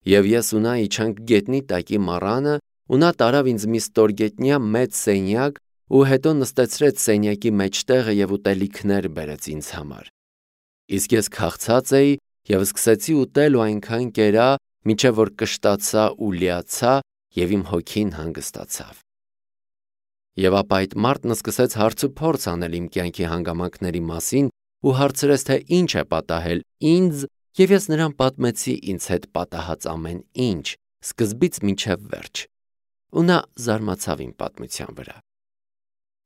Եվ ես ու նա իջանք գետնի տակի մառանը, ու նա տարավ ինձ մի ստորգետնյա մեծ սենյակ ու հետո նստեցրեց սենյակի մեջտեղը և ուտելիքներ բերեց ինձ համար։ Իսկ ես քաղցած էի և սկսեցի ուտել ու այնքան կերա, մինչև որ կշտացա ու լիացա և իմ հոգին հանգստացավ։ Եվ ապա այդ մարդն սկսեց հարցուփորձ անել իմ կյանքի հանգամանքների մասին ու հարցրեց, թե ինչ է պատահել ինձ, և ես նրան պատմեցի ինձ հետ պատահած ամեն ինչ, սկզբից մինչև վերջ։ Ու նա զարմացավ իմ պատմության վրա։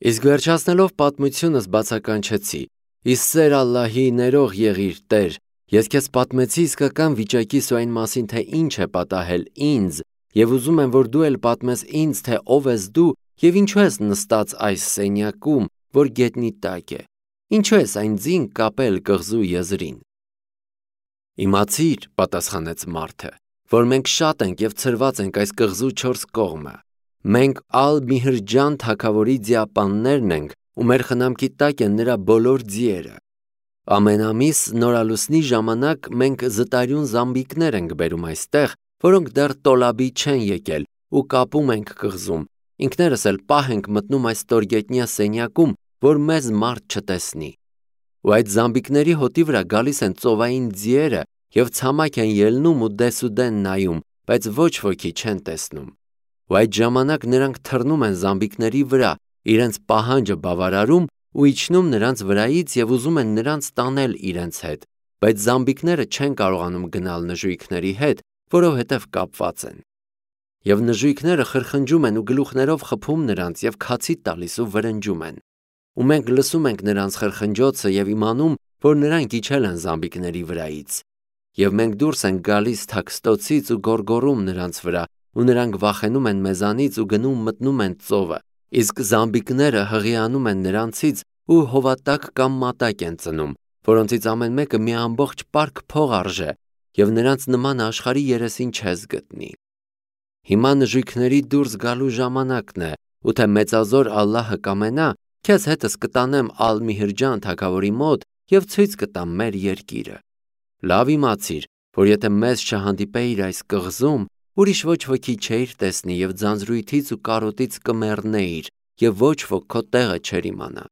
Իսկ վերջացնելով պատմությունս բացականչեցի. «Ի սեր Ալլահի, ներող եղիր, Տեր, ես քեզ պատմեցի իսկական վիճակիս ու այն մասին, թե ինչ է պատահել ինձ, և ուզում եմ, որ դու էլ պատմես ինձ, թե ով ես դու և ինչու ես նստած այս սենյակում, որ գետնի տակ է, ինչու ես այն ձին կապել կղզու եզրին»։ «Իմացիր, – պատասխանեց մարդը, – որ մենք շատ ենք և ցրված ենք այս կղզու 4 կողմը։ Մենք Ալ-Միհրջան թագավորի ձիապաններն ենք ու մեր խնամքի տակ են նրա բոլոր ձիերը։ Ամեն ամիս նորալուսնի ժամանակ մենք զտարյուն զամբիկներ ենք բերում այստեղ, որոնք դեռ տոլաբի չեն եկել, ու կապում ենք կղզում, ինքներս էլ պահ ենք մտնում այս ստորգետնյա սենյակում, որ մեզ մարդ չտեսնի։ Ու այդ զամբիկների հոտի վրա գալիս են ծովային ձիերը և ցամաք են ելնում ու դեսուդեն նայում, բայց ոչ ոքի չեն տեսնում։ Ու այդ ժամանակ նրանք թռնում են զամբիկների վրա, իրենց պահանջը բավարարում ու իջնում նրանց վրայից և ուզում են նրանց տանել իրենց հետ, բայց զամբիկները չեն կարողանում գնալ նժույգների հետ, որովհետև կապված են։ Եվ նժույգները խրխնջում են ու գլուխներով խփում նրանց և քացի տալիս ու վրնջում են։ Ու մենք լսում ենք նրանց խրխնջոցը և իմանում, որ նրանք իջել են զամբիկների վրայից։ Եվ մենք դուրս ենք գալիս թաքստոցից ու գոռգոռում նրանց վրա, ու նրանք վախենում են մեզանից ու գնում մտնում են ծովը, իսկ զամբիկները հղիանում են նրանցից ու հովատակ կամ մատակ են ծնում, որոնցից ամեն մեկը մի ամբողջ պարկ փող արժե, և նրանց նմանը աշխարհի երեսին չես գտնի։ Հիմա նժույգների դուրս գալու ժամանակն է, ու թե մեծազոր Ալլահը կամենա, քեզ հետս կտանեմ Ալ-Միհրջան թագավորի մոտ և ցույց կտամ մեր երկիրը։ Լավ իմացիր, որ եթե մեզ չհանդիպեիր այս կղզում, ուրիշ ոչ ոքի չէիր տեսնի և ձանձրույթից ու կարոտից կմեռնեիր, և ոչ ոք քո տեղը չէր իմանա։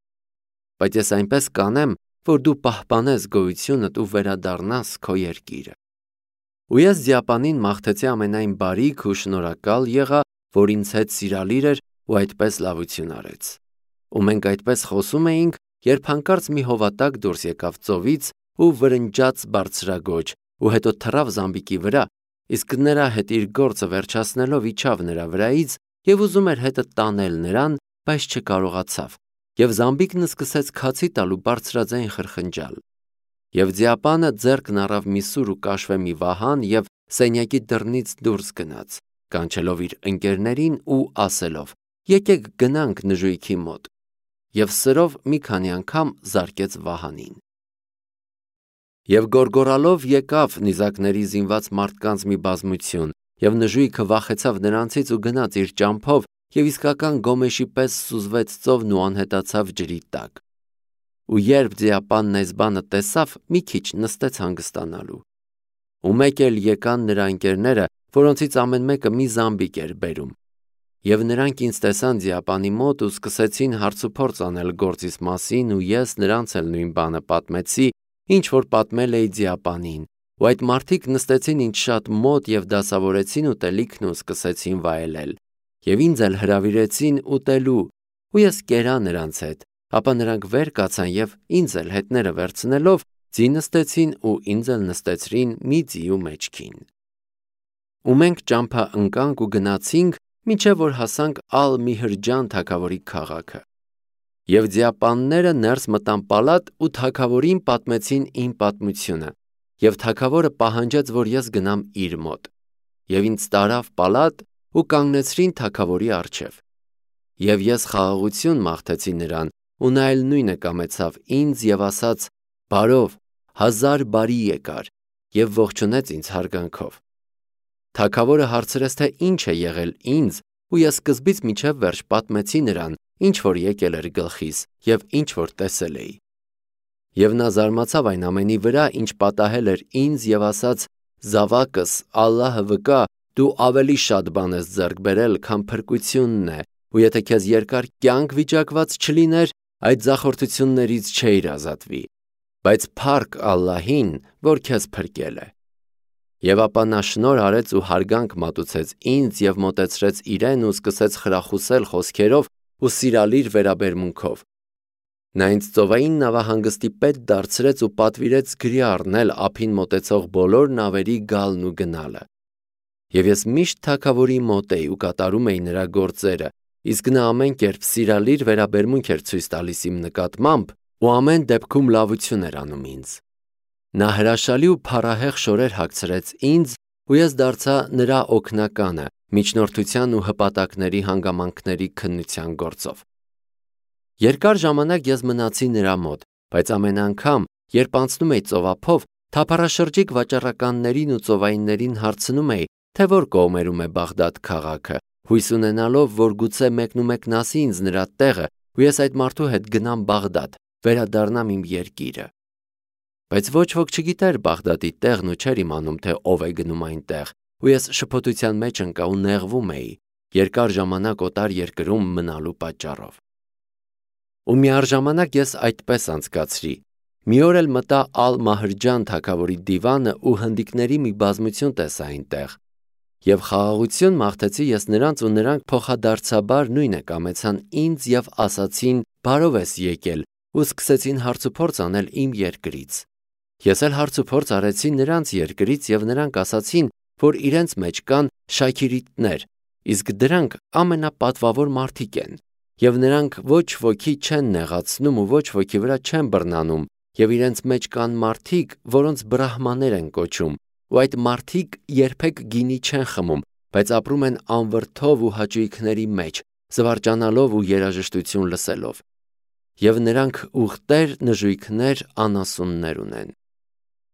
Բայց ես այնպես կանեմ, որ դու պահպանես գոյությունդ ու վերադառնաս քո երկիրը։ Ու ես ձիապանին մաղթեցի ամենայն բարիք ու շնորհակալ եղա, որ ինձ հետ սիրալիր էր ու այդպես լավություն արեց։ Ու մենք այդպես խոսում էինք, երբ հանկարծ մի հովատակ դուրս եկավ ծովից ու վրնջաց բարձրաձոջ ու հետո թռավ զամբիկի վրա, իսկ նրա հետ իր գործը վերջացնելով իջավ նրա վրայից և ուզում էր հետը տանել նրան, բայց չկարողացավ, և զամբիկն սկսեց քացի տալ ու բարձրաձայն խրխնջալ։ Եվ ձիապանը ձեռքն առավ մի սուր ու կաշվե մի վահան և սենյակի դռնից դուրս գնաց, կանչելով իր ընկերներին ու ասելով. «Եկեք գնանք նժույգի մոտ», և սրով մի քանի անգամ զարկեց վահանին։ Եվ գոռգոռալով եկավ նիզակների զինված մարդկանց մի բազմություն, և նժույգը վախեցավ նրանցից ու գնաց իր ճամփով և իսկական գոմեշի պես սուզվեց ծովն ու անհետացավ ջրի տակ։ Ու երբ ձիապանն այս բանը տեսավ, մի քիչ նստեց հանգստանալու։ Ու մեկ էլ եկան նրա ընկերները, որոնցից ամեն մեկը մի զամբիկ էր բերում։ Եվ նրանք ինձ տեսան ձիապանի մոտ ու սկսեցին հարցուփորձ անել գործիս մասին, ու ես նրանց էլ նույն բանը պատմեցի, ինչ որ պատմել էի ձիապանին, ու այդ մարդիկ նստեցին ինձ շատ մոտ և դասավորեցին ուտելիքն ու սկսեցին վայելել, և ինձ էլ հրավիրեցին ուտելու, ու ես կերա նրանց հետ, ապա նրանք վեր կացան և ինձ էլ հետները վերցնելով ձի նստեցին ու ինձ էլ նստեցրին մի ձիու մեջքին։ Ու մենք ճամփա ընկանք ու գնացինք, մինչև որ հասանք Ալ-Միհրջան թագավորի քաղաքը։ Եվ ձիապանները ներս մտան պալատ ու թագավորին պատմեցին իմ պատմությունը, և թագավորը պահանջեց, որ ես գնամ իր մոտ, և ինձ տարավ պալատ ու կանգնեցրին թագավորի առջև։ Եվ ես խաղաղություն մաղթեցի նրան, ու նա էլ նույնը կամեցավ ինձ և ասաց. «Բարով, 1000 բարի եկար», և ողջունեց ինձ հարգանքով։ Թագավորը հարցրեց, թե ինչ է եղել ինձ, ու ես սկզբից մինչև վերջ պատմեցի նրան, ինչ որ եկել էր գլխիս և ինչ որ տեսել էի։ Եվ նա զարմացավ այն ամենի վրա, ինչ պատահել էր ինձ, և ասաց. զավակս, Ալլահը վկա, դու ավելի շատ բան ես ձեռք բերել, քան փրկությունն է, ու եթե քեզ երկար կյանք վիճակված չլիներ, այդ ձախորդություններից չէիր ազատվի, բայց փառք Ալլահին, որ քեզ փրկել է։ Եվ ապա նա շնորհ արեց ու հարգանք մատուցեց ինձ և մոտեցրեց իրեն ու սկսեց խրախուսել խոսքերով ու սիրալիր վերաբերմունքով։ Նա ինձ ծովային նավահանգստի պետ դարձրեց ու պատվիրեց գրի առնել ափին մոտեցող բոլոր նավերի գալն ու գնալը։ Եվ ես միշտ թագավորի մոտ էի ու կատարում էի նրա գործերը, իսկ նա ամեն կերպ սիրալիր վերաբերմունք էր ցույց տալիս իմ նկատմամբ ու ամեն դեպքում լավություն էր անում ինձ։ Նա հրաշալի ու փառահեղ շորեր հագցրեց ինձ, ու ես դարձա նրա օգնականը միջնորդության ու հպատակների հանգամանքների քննության գործով։ Երկար ժամանակ ես մնացի նրա մոտ, բայց ամեն անգամ, երբ անցնում էի ծովափով, թափառաշրջիկ վաճառականներին ու ծովայիններին հարցնում էի, թե որ կողմերում է Բաղդադ քաղաքը, հույս ունենալով, որ գուցե մեկնումեկն ասի ինձ նրա տեղը, ու ես այդ մարդու հետ գնամ Բաղդադ, վերադառնամ իմ երկիրը։ Բայց ոչ ոք չգիտեր Բաղդադի տեղն ու չէր իմանում, թե ով է գնում այնտեղ, ու ես շփոթության մեջ ընկա ու նեղվում էի, երկար ժամանակ օտար երկրում մնալու պատճառով։ Ու միառժամանակ ես այդպես անցկացրի։ Մի օր էլ մտա Ալ-Մահրջան թագավորի դիվանը ու հնդիկների մի բազմություն տեսա այնտեղ։ Եվ խաղաղություն մաղթեցի ես նրանց, ու նրանք փոխադարձաբար նույնը կամեցան ինձ և ասացին. «Բարով ես եկել», ու սկսեցին հարցուփորձ անել իմ երկրից։ Ես էլ հարցուփորձ արեցի նրանց երկրից, և նրանք ասացին, որ իրենց մեջ կան շաքիրիտներ, իսկ դրանք ամենապատվավոր մարդիկ են, և նրանք ոչ ոքի չեն նեղացնում ու ոչ ոքի վրա չեն բռնանում, և իրենց մեջ կան մարդիկ, որոնց բրահմաներ են կոչում, ու այդ մարդիկ երբեք գինի չեն խմում, բայց ապրում են անվրդով ու հաճույքների մեջ, զվարճանալով ու երաժշտություն լսելով։ Եվ նրանք ուղտեր, նժույգներ, անասուններ ունեն։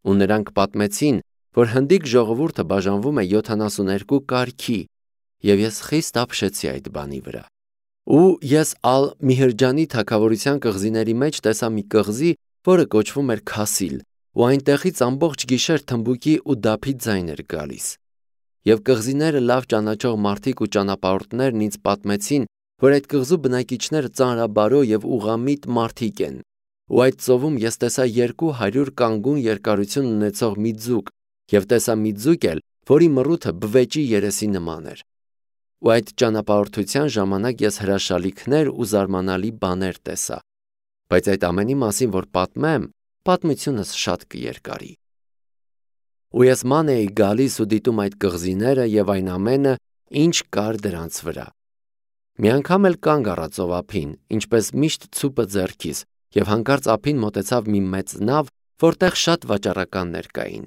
Ու նրանք պատմեցին, որ հնդիկ ժողովուրդը բաժանվում է 72 կարգի, և ես խիստ ապշեցի այդ բանի վրա։ Ու ես Ալ-Միհրջանի թագավորության կղզիների մեջ տեսա մի կղզի, որը կոչվում էր Քասիլ, ու այնտեղից ամբողջ գիշեր թմբուկի ու դափի ձայն էր գալիս։ Եվ կղզիները լավ ճանաչող մարդիկ ու ճանապարհորդներն ինձ պատմեցին, որ այդ կղզու բնակիչները ծանրաբարո և ուղղամիտ մարդիկ են, ու այդ ծովում ես տեսա 200 կանգուն երկարություն ունեցող մի ձուկ, և տեսա մի ձուկ էլ, որի մռութը բվեճի երեսի նման էր։ Ու այդ ճանապարհորդության ժամանակ ես հրաշալիքներ ու զարմանալի բաներ տեսա, բայց այդ ամենի մասին, որ պատմեմ, պատմությունս շատ կերկարի։ Ու ես ման էի գալիս ու դիտում այդ կղզիները և այն ամենը, ինչ կար դրանց վրա։ Մի անգամ էլ կանգ առա ծովափին, ինչպես միշտ ցուպը ձեռքիս, և հանկարծ ափին մոտեցավ մի մեծ նավ, որտեղ շատ վաճառականներ կային։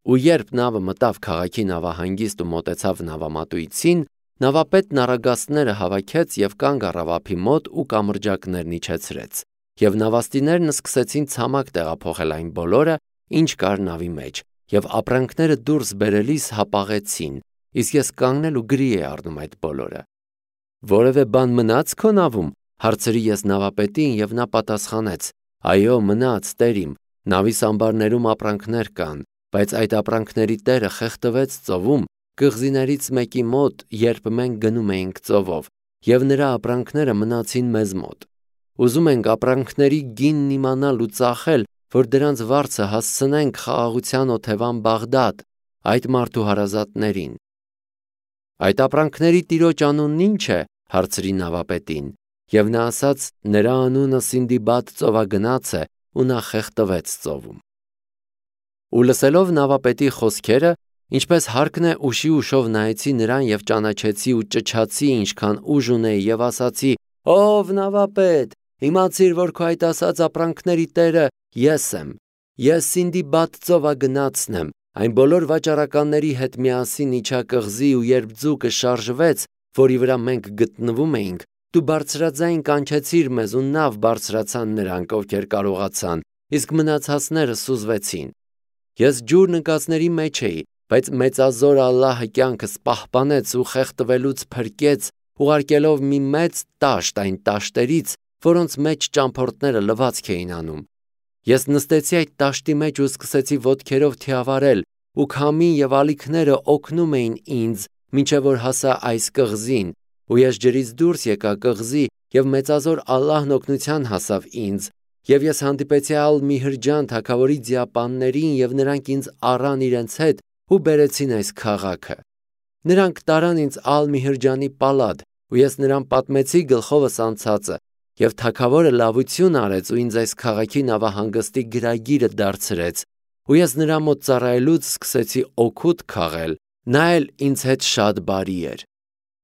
Ու երբ նավը մտավ քաղաքի նավահանգիստ ու մոտեցավ նավամատույցին, նավապետն առագաստները հավաքեց և կանգ առավ ափի մոտ ու կամրջակներն իջեցրեց, և նավաստիներն սկսեցին ցամաք տեղափոխել այն բոլորը, ինչ կար նավի մեջ, և ապրանքները դուրս բերելիս հապաղեցին, իսկ ես կանգնել ու գրի էի առնում այդ բոլորը։ «Որևէ բան մնա՞ց քո նավում», հարցրի ես նավապետին, և նա պատասխանեց. «Այո, մնաց, տեր իմ, նավի սամբարներում ապրանքներ կան, բայց այդ ապրանքների տերը խեղդվեց ծովում, կղզիներից մեկի մոտ, երբ մենք գնում էինք ծովով, և նրա ապրանքները մնացին մեզ մոտ։ Ուզում ենք ապրանքների գինն իմանալ ու ծախել, որ դրանց վարձը հասցնենք խաղաղության օթևան Բաղդադ, այդ մարդու հարազատներին»։ «Այդ ապրանքների տիրոջ անունն ի՞նչ է», հարցրի նավապետին, և նա ասաց. «Նրա անունը Սինդիբադ ծովագնաց է, ու նա խեղդվեց ծովում»։ Ու լսելով նավապետի խոսքերը, ինչպես հարկն է, ուշի ուշով նայեցի նրան և ճանաչեցի ու ճչացի, ինչքան ուժ ունեի, և ասացի. «Ով նավապետ, իմացիր, որ քո այդ ասած ապրանքների տերը ես եմ։ Ես Սինդիբադ ծովագնացն եմ, այն բոլոր վաճառականների հետ միասին իջա կղզի, ու երբ ձուկը շարժվեց, որի վրա մենք գտնվում էինք, դու բարձրաձայն կանչեցիր մեզ, ու նավ բարձրացան նրանք, ովքեր կարողացան, իսկ մնացածները սուզվեցին։ Ես ջուրն ընկածների մեջ էի, բայց մեծազոր Ալլահը կյանքս պահպանեց ու խեղդվելուց փրկեց, ուղարկելով մի մեծ տաշտ այն տաշտերից, որոնց մեջ ճամփորդները լվացք էին անում։ Ես նստեցի այդ տաշտի մեջ ու սկսեցի ոտքերով թիավարել, ու քամին եւ ալիքները օգնում էին ինձ, մինչև որ հասա այս կղզին, ու ես ջրից դուրս եկա կղզի, եւ մեծազոր Ալլահն օգնության հասավ ինձ, եւ ես հանդիպեցի Ալ-Միհրջան թագավորի ձիապաններին, եւ նրանք ինձ առան իրենց հետ ու բերեցին այս քաղաքը։ Նրանք տարան ինձ Ալ-Միհրջանի պալատ, ու ես նրան պատմեցի գլխովս անցածը, եւ թագավորը լավություն արեց ու ինձ այս քաղաքի նավահանգստի գրագիրը դարձրեց, ու ես նրա մոտ ծառայելուց սկսեցի օգուտ քաղել, նա էլ ինձ հետ շատ բարի էր։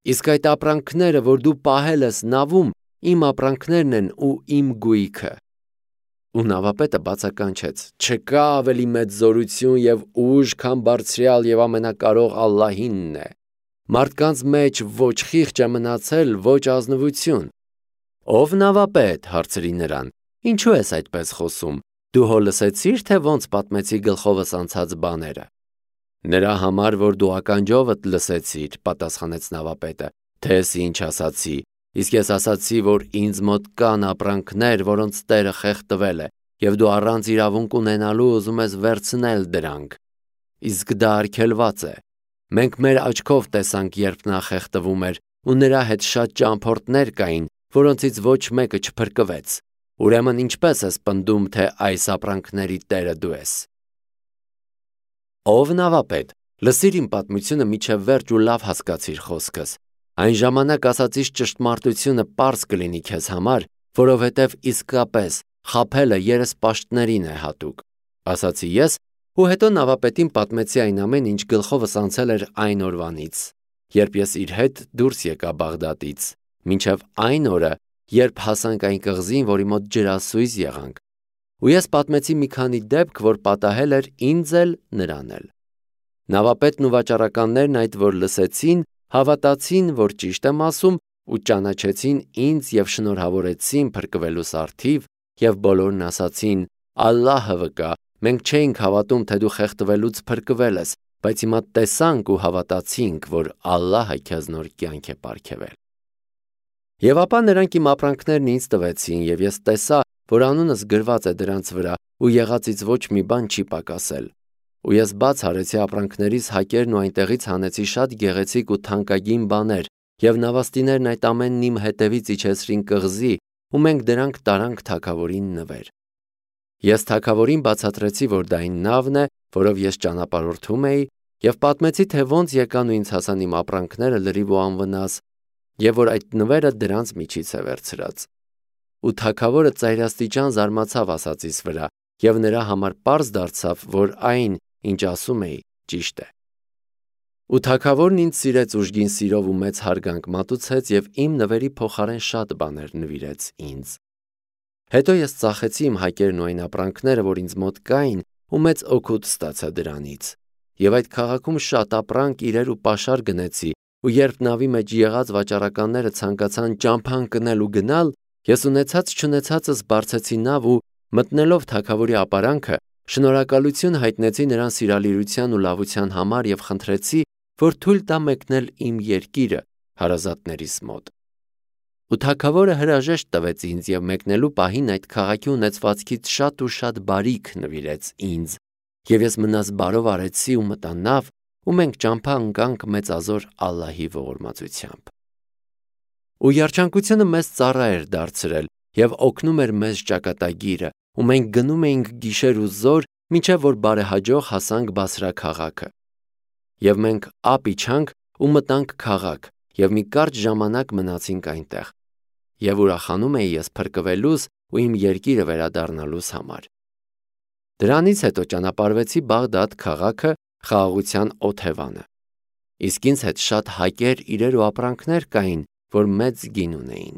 Իսկ այդ ապրանքները, որ դու պահել ես նավում, իմ ապրանքներն են ու իմ գույքը։ Ու նավապետը բացականչեց. չկա ավելի մեծ զորություն եւ ուժ, քան բարձրյալ եւ ամենակարող Ալլահինն է։ Մարդկանց մեջ ոչ խիղճ է մնացել, ոչ ազնվություն։ Ով նավապետ, հարցրի նրան, ինչու ես այդպես խոսում, դու հո լսեցիր, թե ոնց պատմեցի գլխովս անցած բաները։ Նրա համար, որ դու ականջովդ լսեցիր, պատասխանեց նավապետը, թե ես ինչ ասացի, իսկ ես ասացի, որ ինձ մոտ կան ապրանքներ, որոնց տերը խեղդվել է, եւ դու առանց իրավունք ունենալու ուզում ես վերցնել դրանք։ Իսկ դա արգելված է։ Մենք մեր աչքով տեսանք, երբ նա խեղդվում էր, ու նրա հետ շատ ճամփորդներ կային, որոնցից ոչ մեկը չփրկվեց։ Ուրեմն ինչպես ես պնդում, թե այս ապրանքների տերը դու ես։ Ով նավապետ, լսիր իմ պատմությունը միջև վերջ ու լավ հասկացիր խոսքս։ Այն ժամանակ ասացիս ճշտմարտությունը պարզ կլինի քեզ համար, որովհետև իսկապես խաբելը երեսպաշտներին է հատուկ, ասացի ես, ու հետո նավապետին պատմեցի այն ամեն, ինչ գլխովս անցել էր այն օրվանից, երբ ես իր հետ դուրս եկա Բաղդադից, մինչև այն օրը, երբ հասանք այն կղզին, որի մոտ ջրասույզ եղանք, ու ես պատմեցի մի քանի դեպք, որ պատահել էր ինձ էլ նրան էլ։ Նավապետն ու վաճառականներն այդ որ լսեցին, հավատացին, որ ճիշտ եմ ասում, ու ճանաչեցին ինձ եւ շնորհավորեցին փրկվելու սարթիվ, եւ բոլորն ասացին. Ալլահը վկա, մենք չէինք հավատում, թե դու խեղդվելուց փրկվել ես, բայց հիմա տեսանք ու հավատացինք, որ Ալլահը քեզ նոր կյանք է պարգևել։ Եվ ապա նրանք իմ ապրանքներն ինձ տվեցին, եւ ես տեսա, որ անունս գրված է դրանց վրա, ու եղածից ոչ մի բան չի պակասել։ Ու ես բաց արեցի ապրանքներիս հակերն ու այնտեղից հանեցի շատ գեղեցիկ ու թանկագին բաներ, եւ նավաստիներն այդ ամենն իմ հետևից իջեցրին կղզի, ու մենք դրանք տարանք թագավորին նվեր։ Ես թագավորին բացատրեցի, որ դա այն նավն է, որով ես ճանապարհորդում էի, եւ պատմեցի, թե ոնց եկան ու ինձ հասան իմ ապրանքները լրիվ ու անվնաս, եւ որ այդ նվերը դրանց միջից է վերցրած։ Ու թագավորը ծայրաստիճան զարմացավ ասածիս վրա, եւ նրա համար պարզ դարձավ, որ այն, ինչ ասում էի, ճիշտ է։ Ու թագավորն ինձ սիրեց ուժգին սիրով ու մեծ հարգանք մատուցեց եւ իմ նվերի փոխարեն շատ բաներ նվիրեց ինձ։ Հետո ես ծախեցի իմ հակերն ու այն ապրանքները, որ ինձ մոտ կային, ու մեծ օգուտ ստացա դրանից։ Եվ այդ քաղաքում շատ ապրանք, իրեր ու պաշար գնեցի, ու երբ նավի մեջ եղած վաճառականները ցանկացան ճամփան կնել ու գնալ, ես ունեցած չունեցածս բարձեցի նավ ու մտնելով թագավորի ապարանքը, շնորհակալություն հայտնեցի նրան սիրալիրության ու լավության համար եւ խնդրեցի, որ թույլ տա մեկնել իմ երկիրը հարազատներիս մոտ։ Ու թագավորը հրաժեշտ տվեց ինձ եւ մեկնելու պահին այդ քաղաքի ունեցվածքից շատ ու շատ բարիք նվիրեց ինձ, եւ ես մնաս բարով արեցի ու մտա նավ, ու մենք ճամփա ընկանք մեծազոր Ալլահի ողորմածությամբ։ Ու երջանկությունը մեզ ծառա էր դարձրել եւ օգնում էր մեզ ճակատագիրը, ու մենք գնում էինք գիշեր ու զոր, մինչև որ բարեհաջող հասանք Բասրա քաղաքը։ Եվ մենք ափ իջանք ու մտանք քաղաք, եւ մի կարճ ժամանակ մնացինք այնտեղ։ Եվ ուրախանում էի ես փրկվելուս ու իմ երկիրը վերադառնալուս համար։ Դրանից հետո ճանապարհվեցի Բաղդադ քաղաքը խաղաղության օթևանը։ Իսկ ինձ հետ շատ հակեր, իրեր ու ապրանքներ կային, որ մեծ գին ունեին։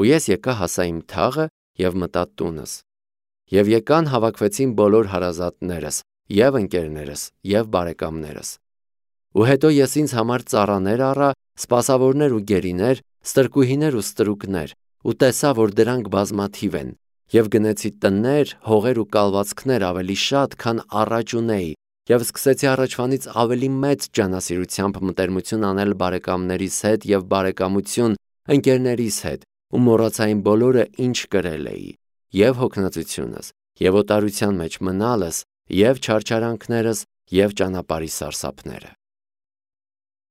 Ու ես եկա հասա իմ թաղը եւ մտա տունս։ Եվ եկան հավաքվեցին բոլոր հարազատներս, եւ ընկերներս, եւ բարեկամներս։ Ու հետո ես ինձ համար ծառաներ առա, սպասավորներ ու գերիներ, ստրկուհիներ ու ստրուկներ, ու տեսա, որ դրանք բազմաթիվ են, եւ գնեցի տներ, հողեր ու կալվածքներ ավելի շատ, քան առաջ ունեի, եւ սկսեցի առաջվանից ավելի մեծ ջանասիրությամբ մտերմություն անել բարեկամներիս հետ եւ բարեկամություն ընկերներիս հետ, ու մոռացա այն բոլորը, ինչ կրել էի, եւ հոգնածությունս, եւ օտարության մեջ մնալս, եւ չարչարանքներս, և ճանապարհի սարսափները։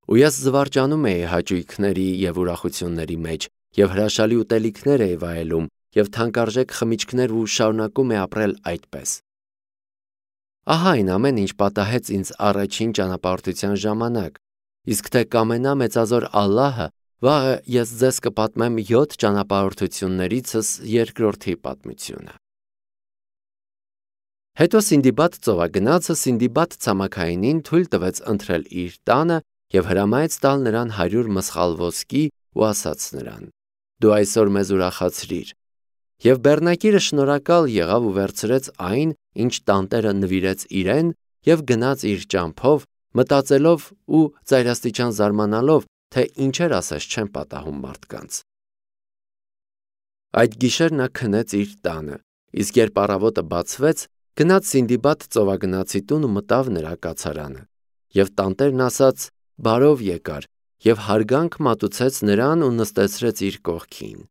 Ու ես զվարճանում էի հաճույքների և ուրախությունների մեջ և հրաշալի ուտելիքներ էի վայելում և թանկարժեք խմիչքներ ու շարունակում էի ապրել այդպես։ Ահա այն ամեն ինչ պատահեց ինձ առաջին ճանապարհորդության ժամանակ, իսկ թե կամենա մեծազոր Ալլահը, վաղը ես ձեզ կպատմեմ 7 ճանապարհորդություններիցս երկրորդի պատմությունը։ Հետո Սինդիբադ ծովագնացը Սինդիբադ ցամաքայինին թույլ տվեց ընթրել իր տանը և հրամայեց տալ նրան 100 մսխալ ոսկի ու ասաց նրան. «Դու այսօր մեզ ուրախացրիր»։ Եվ բեռնակիրը շնորհակալ եղավ ու վերցրեց այն, ինչ տանտերը նվիրեց իրեն, և գնաց իր ճամփով, մտածելով ու ծայրաստիճան զարմանալով, թե ինչեր ասես չեն պատահում մարդկանց։ Այդ գիշեր նա քնեց իր տանը, իսկ երբ առավոտը բացվեց, գնաց Սինդիբադ ծովագնացի տուն ու մտավ նրա կացարանը։ Եվ տանտերն ասաց. «Բարով եկար» և հարգանք մատուցեց նրան ու նստեցրեց իր կողքին։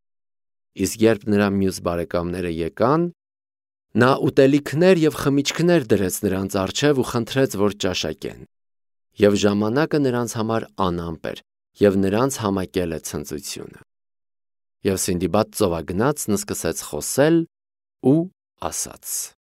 Իսկ երբ նրա մյուս բարեկամները եկան, նա ուտելիքներ և խմիչքներ դրեց նրանց առջև ու խնդրեց, որ ճաշակեն։ Եվ ժամանակը նրանց համար անամպ էր, և նրանց համակել է ցնծությունը։ Եվ Սինդիբադ ծովագնացն սկսեց խոսել ու ասաց.